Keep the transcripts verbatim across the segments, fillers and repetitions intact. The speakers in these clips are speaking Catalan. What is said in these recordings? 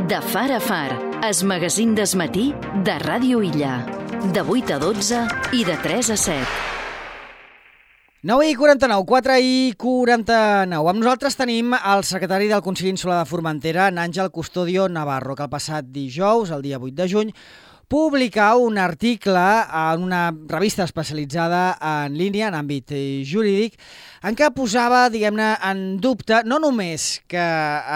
De far a far, es magazín desmatí de Ràdio Illa. De vuit a dotze i de tres a set. nou i quaranta-nou, quatre i quaranta-nou. Amb nosaltres tenim el secretari del Consell Insular de Formentera, Àngel Custodio Navarro, que el passat dijous, el dia vuit de juny, publicar un article en una revista especialitzada en línia, en àmbit jurídic, en què posava, diguem-ne, en dubte no només que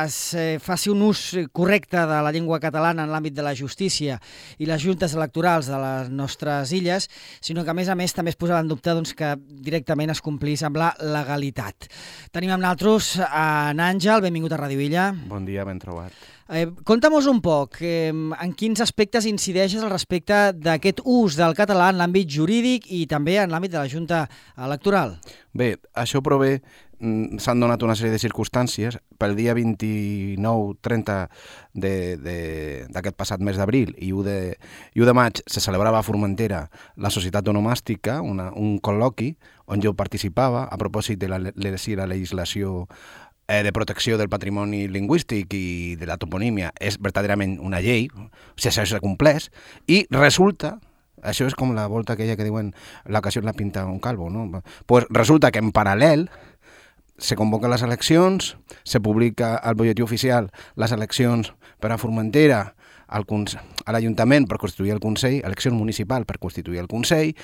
es faci un ús correcte de la llengua catalana en l'àmbit de la justícia i les juntes electorals de les nostres illes, sinó que, a més a més, també es posava en dubte doncs, que directament es complís amb la legalitat. Tenim amb nosaltres en Àngel, benvingut a Ràdio Illa. Bon dia, ben trobat. Eh, Conta'm-nos un poc, eh, en quins aspectes incideixes al respecte d'aquest ús del català en l'àmbit jurídic i també en l'àmbit de la Junta Electoral. Bé, això prové, s'han donat una sèrie de circumstàncies. Pel dia vint-i-nou trenta d'aquest passat mes d'abril i u de, i u de maig se celebrava a Formentera la Societat Onomàstica, una, un col·loqui on jo participava a propòsit de la, la legislació de protecció del patrimoni lingüístic i de la toponímia. És verdaderament una llei, o sigui, això s'ha complès, i resulta, això és com la volta aquella que diuen la ocasión la pinta un calvo, no? Pues resulta que en paral·lel se convoquen les eleccions, se publica al butlletí oficial les eleccions per a Formentera, al, a l'Ajuntament per constituir el Consell, elecció municipal per constituir el Consell.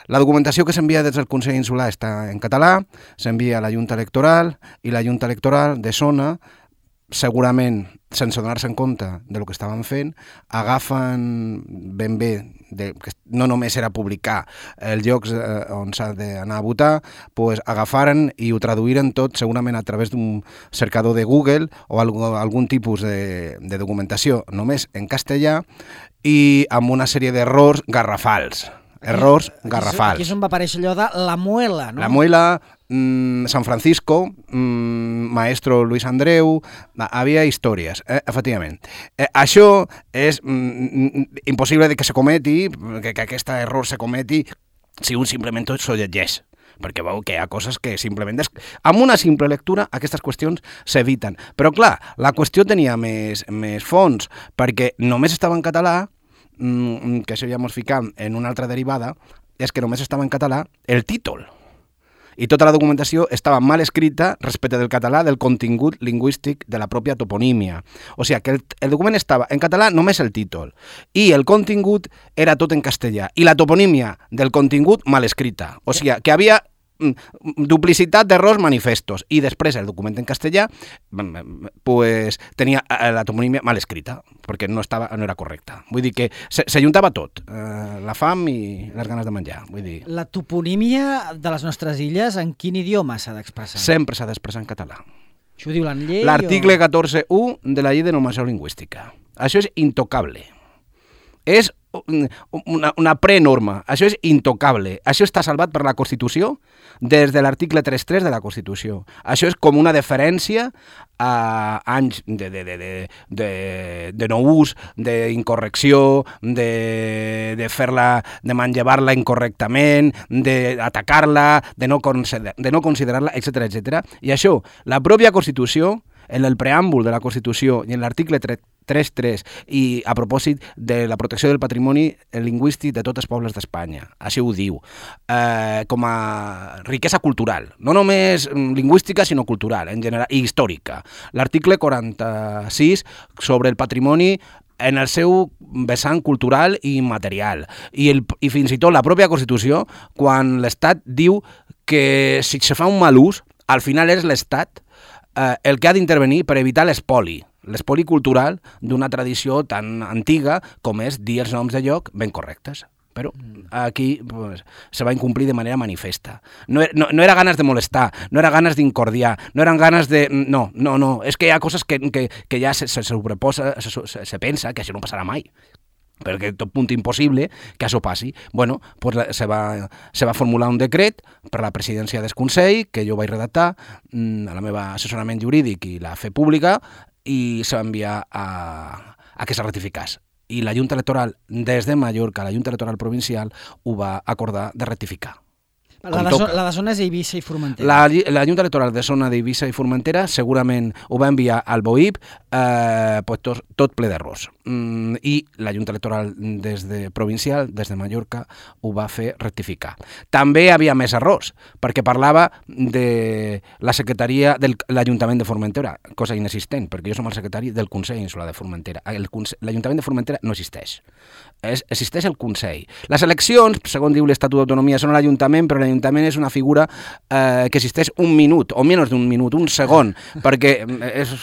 La documentació que s'envia des del Consell Insular està en català, s'envia a la Junta Electoral i la Junta Electoral de zona, segurament sense donar-se en compte del que estaven fent, agafen ben bé, de, que no només era publicar els llocs eh, on s'ha d'anar a votar, pues agafaren i ho traduïren tot segurament a través d'un cercador de Google o algun, algun tipus de, de documentació només en castellà i amb una sèrie d'errors garrafals. Errors garrafals. Aquí és on va aparèixer allò de la muela, no? La muela, mmm, San Francisco, mmm, maestro Luis Andreu, havia històries, eh, efectivament. Eh, això és mm, impossible de que se cometi, que, que aquest error se cometi si un simplement s'ho llegeix, perquè veu que hi ha coses que simplement... Des... Amb una simple lectura aquestes qüestions s'eviten. Però clar, la qüestió tenia més, més fons, perquè només estava en català, que això ja ens ficam en una altra derivada, és que només estava en català el títol. I tota la documentació estava mal escrita respecte del català, del contingut lingüístic de la pròpia toponímia. O sigui, que el, el document estava en català només el títol. I el contingut era tot en castellà. I la toponímia del contingut mal escrita. O sigui, que havia duplicitat d'errors manifestos. I després el document en castellà pues, tenia la toponímia mal escrita, perquè no, estava, no era correcta. Vull dir que s'ajuntava tot, eh, la fam i les ganes de menjar. Vull dir... La toponímia de les nostres illes, en quin idioma s'ha d'expressar? Sempre s'ha d'expressar en català. Això ho diu la llei? L'article o... catorze u de la llei de normació lingüística. Això és intocable. És una, una prenorma. Això és intocable. Això està salvat per la Constitució des de l'article trenta tres de la Constitució. Això és com una deferència a anys de, de, de, de, de, de no ús, d'incorrecció, de, de fer-la, de manllevar-la incorrectament, d'atacar-la, de no, de no considerar-la, etcètera, etcètera. I això, la pròpia Constitució, en el preàmbul de la Constitució i en l'article trenta tres i a propòsit de la protecció del patrimoni lingüístic de tots els pobles d'Espanya. Així ho diu. Eh, com a riquesa cultural. No només lingüística, sinó cultural, en general, i històrica. L'article quaranta-sis sobre el patrimoni en el seu vessant cultural i material. I, el, i fins i tot la pròpia Constitució, quan l'Estat diu que si se fa un mal ús, al final és l'Estat eh, el que ha d'intervenir per evitar l'espoli. L'espoli cultural d'una tradició tan antiga com és dir els noms de lloc ben correctes. Però aquí pues, se va incomplir de manera manifesta. No, no, no era ganes de molestar, no era ganes d'incordiar, no eren ganes de... No, no, no, és que hi ha coses que, que, que ja se, se sobreposa, se, se, se pensa que això no passarà mai, perquè tot punt impossible que això passi. Bueno, pues se, va, se va formular un decret per la presidència del Consell, que jo vaig redactar, a la meva assessorament jurídic i la fe pública, i se va enviar a, a que se ratificàs. I la Junta Electoral, des de Mallorca, la Junta Electoral Provincial, ho va acordar de rectificar. La de, la de zones d'Eivissa i Formentera. La, la Junta Electoral de zona d'Eivissa i Formentera segurament ho va enviar al B O I P eh, pues tot, tot ple d'errors. Mm, I la Junta Electoral des de provincial, des de Mallorca, ho va fer rectificar. També hi havia més errors, perquè parlava de la secretaria de l'Ajuntament de Formentera, cosa inexistent, perquè jo som el secretari del Consell Insular de Formentera. L'Ajuntament de Formentera no existeix. Es, existeix el Consell. Les eleccions, segons diu l'Estatut d'Autonomia, són a l'Ajuntament, però l'Ajuntament és una figura eh, que existeix un minut, o menys d'un minut, un segon, perquè és,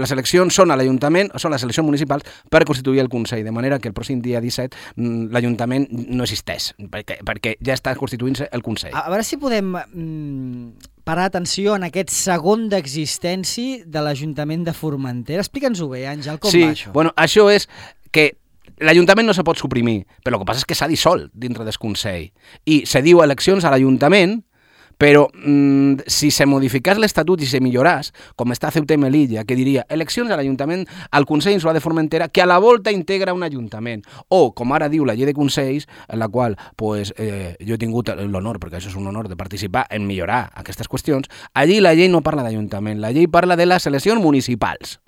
les eleccions són a l'Ajuntament, són les eleccions municipals per constituir el Consell, de manera que el pròxim dia disset l'Ajuntament no existeix, perquè, perquè ja està constituint-se el Consell. A, a veure si podem mm, parar atenció en aquest segon d'existència de l'Ajuntament de Formentera. Explica'ns-ho bé, Àngel, com sí, va això? Bueno, això és que l'Ajuntament no se pot suprimir, però el que passa és que s'ha dissolt dintre del Consell. I se diu eleccions a l'Ajuntament, però mmm, si se modificés l'Estatut i se milloràs, com està Ceuta i Melilla, que diria eleccions a l'Ajuntament, al Consell Insular de Formentera, que a la volta integra un Ajuntament. O, com ara diu la llei de Consells, en la qual pues, eh, jo he tingut l'honor, perquè això és un honor, de participar en millorar aquestes qüestions, allí la llei no parla d'Ajuntament, la llei parla de les eleccions municipals.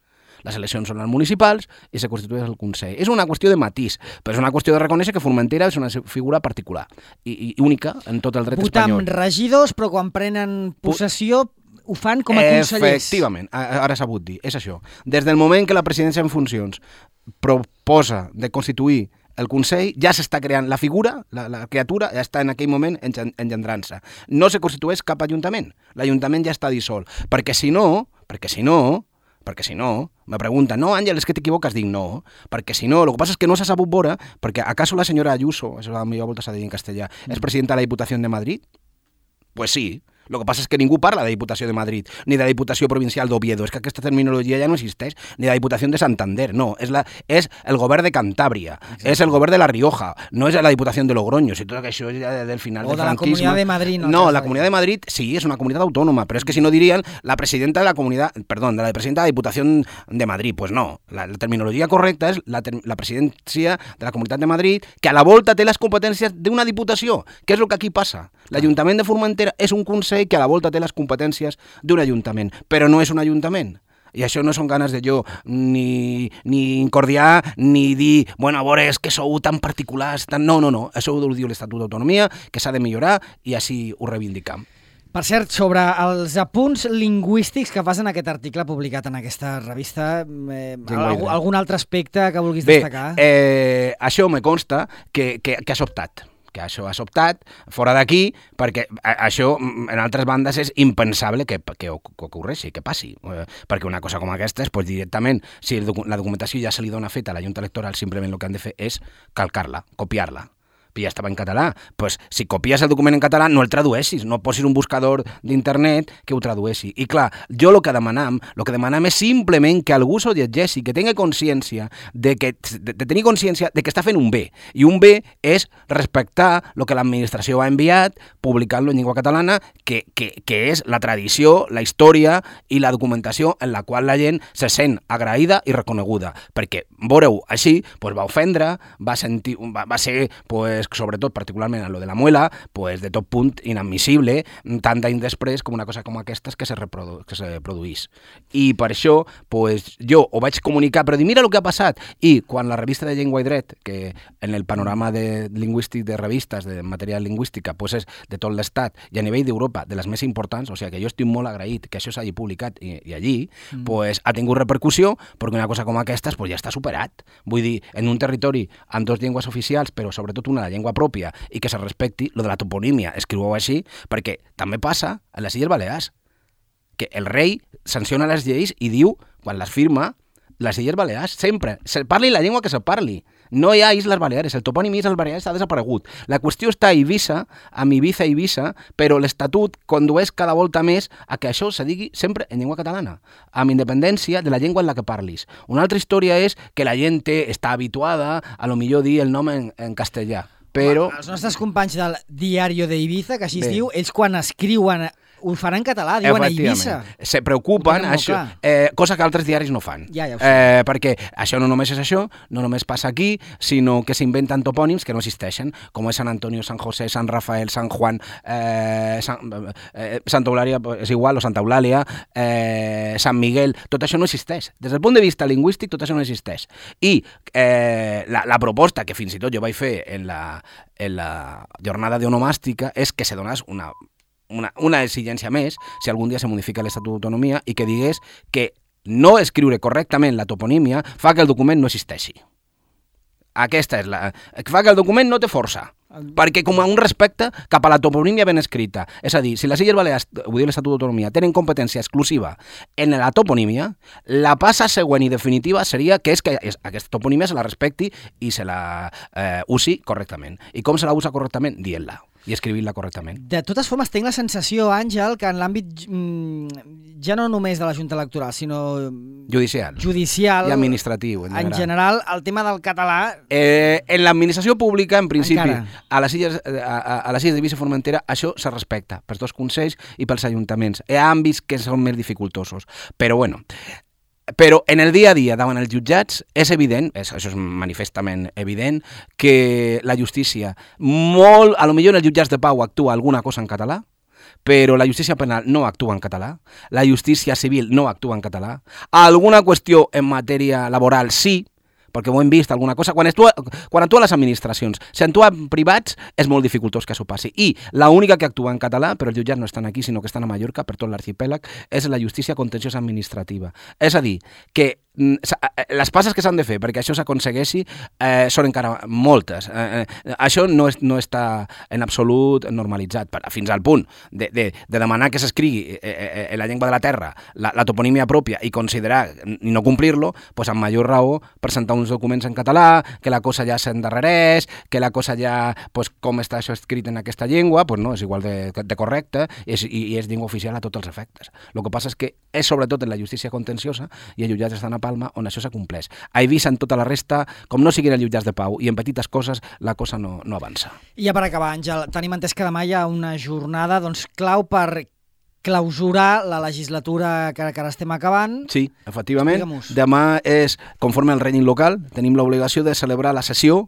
Les eleccions són les municipals i se constitueix el Consell. És una qüestió de matís, però és una qüestió de reconèixer que Formentera és una figura particular i, i única en tot el dret Votar espanyol. Votar amb regidors, però quan prenen possessió ho fan com a consellers. Efectivament, ara s'ha sabut dir, és això. Des del moment que la presidència en funcions proposa de constituir el Consell, ja s'està creant la figura, la, la criatura ja està en aquell moment engendrant-se. No se constitueix cap ajuntament, l'Ajuntament ja està dissolt, perquè si no, perquè si no, perquè si no, me pregunten, no, Àngel, és que t'equivoques? Dic, no, perquè si no, el que passa és que no s'ha sabut veure, perquè acaso la senyora Ayuso, això a la millor volta s'ha de dir en castellà, és presidenta de la Diputació de Madrid? Pues sí. El que passa és que ningú parla de Diputació de Madrid, ni de la Diputació Provincial d'Oviedo, és que aquesta terminologia ja no existeix, ni de la Diputació de Santander, no, és, la, és el govern de Cantàbria, exacte. És el govern de La Rioja, no és la Diputació de Logroño, si tot això és ja del final o del de franquisme. O de la Comunitat de Madrid. No, no la Comunitat de Madrid sí, és una comunitat autònoma, però és que si no dirien la presidenta de la comunitat, perdó, de la presidenta de la Diputació de Madrid, pues no, la, la terminologia correcta és la, ter, la presidència de la Comunitat de Madrid, que a la volta té les competències d'una diputació, que és el que aquí passa. L'Ajuntament de Formentera és un consell que a la volta té les competències d'un ajuntament, però no és un ajuntament. I això no són ganes de jo ni, ni incordiar, ni dir, bueno, a veure, és que sou tan particulars, tan... no, no, no, això ho diu l'Estatut d'Autonomia, que s'ha de millorar i així ho reivindicam. Per cert, sobre els apunts lingüístics que fas en aquest article publicat en aquesta revista, eh, algun, algun altre aspecte que vulguis Bé, destacar? Eh, això me consta que, que, que has optat. que això ha sobtat fora d'aquí, perquè això en altres bandes és impensable que, que, que ocorreixi, que passi. Eh, perquè una cosa com aquesta és pues, directament, si el docu la documentació ja se li dona feta a la Junta Electoral, simplement el que han de fer és calcar-la, copiar-la. Ja estava en català, pues, si copies el document en català no el tradueixis, no posis un buscador d'internet que ho tradueixi. I clar, jo el que demanam, el que demanam és simplement que algú s'ho llegeixi, que tingui consciència de, que, de, de tenir consciència de que està fent un bé. I un bé és respectar el que l'administració ha enviat, publicar-lo en llengua catalana, que, que, que és la tradició, la història i la documentació en la qual la gent se sent agraïda i reconeguda. Perquè, veureu, així, pues, va ofendre, va, sentir, va, va ser, pues, sobretot, particularment a lo de la muela, pues, de tot punt inadmissible, tant d'any després com una cosa com aquestes que se, reprodu que se produís. I per això, pues, jo ho vaig comunicar, però dir, mira el que ha passat. I quan la revista de Llengua i Dret, que en el panorama de lingüístic de revistes de matèria lingüística, pues, és de tot l'estat i a nivell d'Europa de les més importants, o sigui que jo estic molt agraït que això s'hagi publicat i, i allí, mm. pues, ha tingut repercussió, perquè una cosa com aquestes pues, ja està superat. Vull dir, en un territori amb dues llengües oficials, però sobretot una de llengua pròpia i que se respecti lo de la toponímia, escriu-ho així, perquè també passa a les Illes Balears, que el rei sanciona les lleis i diu, quan les firma, les Illes Balears, sempre, se parli la llengua que se parli. No hi ha Isles Baleares, el topònim Isles Baleares ha desaparegut. La qüestió està a Eivissa, amb Ibiza i Eivissa, però l'Estatut condueix cada volta més a que això se digui sempre en llengua catalana, amb independència de la llengua en la que parlis. Una altra història és que la gent està habituada a lo millor dir el nom en, en castellà. Però... Els nostres companys del Diario de Ibiza, que així es diu, ells quan escriuen ho fan en català, diuen a Eivissa. Se preocupen, això, eh, cosa que altres diaris no fan. Ja, ja ho sé. Eh, perquè això no només és això, no només passa aquí, sinó que s'inventen topònims que no existeixen, com és Sant Antonio, Sant José, Sant Rafael, Sant Juan, eh, Sant, eh, Santa Eulàlia, és igual, o Santa Eulàlia, eh, Sant Miguel, tot això no existeix. Des del punt de vista lingüístic, tot això no existeix. I eh, la, la proposta que fins i tot jo vaig fer en la, en la jornada d'onomàstica és que se donés una Una, una exigència més, si algun dia se modifica l'Estatut d'Autonomia, i que digués que no escriure correctament la toponímia fa que el document no existeixi. Aquesta és la... fa que el document no té força, perquè com a un respecte cap a la toponímia ben escrita. És a dir, si les Illes Balears, vull dir l'Estatut d'Autonomia, tenen competència exclusiva en la toponímia, la passa següent i definitiva seria que és que aquesta toponímia se la respecti i se la eh, usi correctament. I com se la usa correctament? Dient-la i escrivint-la correctament. De totes formes, tinc la sensació, Àngel, que en l'àmbit mm, ja no només de la Junta Electoral, sinó judicial, judicial i administratiu, en general. En general, el tema del català... Eh, en l'administració pública, en principi, Encara. a les illes, a, a les illes d'Eivissa i Formentera, això se respecta pels dos consells i pels ajuntaments. Hi ha àmbits que són més dificultosos. Però, bueno... Però en el dia a dia davant els jutjats és evident, és, això és manifestament evident, que la justícia, molt, a lo millor en els jutjats de pau actua alguna cosa en català, però la justícia penal no actua en català, la justícia civil no actua en català, alguna qüestió en matèria laboral sí, perquè ho hem vist alguna cosa, quan, actua, quan actua les administracions, si actua en privats és molt dificultós que això passi, i l'única que actua en català, però els jutjats no estan aquí sinó que estan a Mallorca, per tot l'arxipèlag, és la justícia contenciosa administrativa. És a dir, que les passes que s'han de fer perquè això s'aconsegueixi eh, són encara moltes. Eh, eh, això no, és, no està en absolut normalitzat, fins al punt de, de, de demanar que s'escrigui eh, eh, en la llengua de la terra la, la toponímia pròpia i considerar i no complir-lo, doncs amb major raó presentar uns documents en català, que la cosa ja s'endarrereix, que la cosa ja, doncs, com està això escrit en aquesta llengua, doncs no, és igual de, de correcte és, i, i és llengua oficial a tots els efectes. El que passa és que és sobretot en la justícia contenciosa i els jutjats estan a Palma on això s'acompleix. A Eivissa, en tota la resta, com no siguin els jutjats de pau i en petites coses, la cosa no, no avança. I ja per acabar, Àngel, tenim entès que demà hi ha una jornada doncs, clau per clausurar la legislatura que, que ara estem acabant. Sí, efectivament. Demà és, conforme al règim local, tenim l'obligació de celebrar la sessió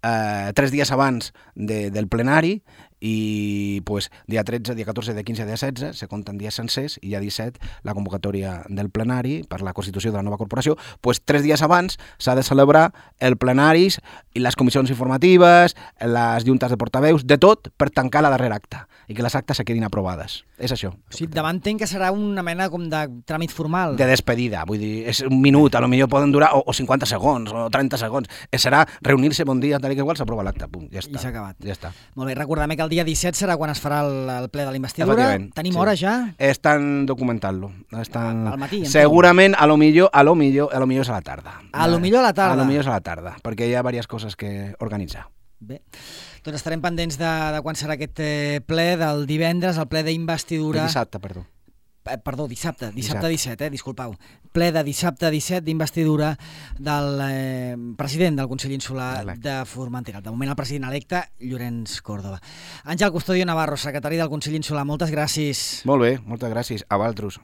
eh, tres dies abans de, del plenari i pues, dia tretze, dia catorze, dia quinze, dia setze se compten dies sencers i dia disset la convocatòria del plenari per la constitució de la nova corporació, pues, tres dies abans s'ha de celebrar el plenaris i les comissions informatives, les juntes de portaveus, de tot per tancar la darrera acta i que les actes se quedin aprovades. És això. O sigui, demà entenc que serà una mena com de tràmit formal. De despedida, vull dir, és un minut, a lo millor poden durar o, o cinquanta segons o trenta segons. Serà reunir-se, bon dia, tal i que igual, s'aprova l'acte, punt, ja està. I s'ha acabat. Ja està. Molt bé, recordem que el dia disset serà quan es farà el, el ple de la investidura. Tenim sí. hora ja? Estan documentant-lo. Estan... Al matí? Segurament, a lo millor, a lo millor, a lo millor és a la tarda. A lo millor a la tarda? A lo millor és a la tarda, perquè hi ha diverses coses que organitzar. Bé, doncs estarem pendents de, de quan serà aquest eh, ple del divendres, el ple d'investidura... De dissabte, perdó. Eh, perdó, dissabte, dissabte disset, eh, disculpeu. Ple de dissabte disset d'investidura del eh, president del Consell Insular de Formentera. De moment el president electe, Llorenç Córdoba. Àngel Custodio Navarro, secretari del Consell Insular, moltes gràcies. Molt bé, moltes gràcies. A vosaltres.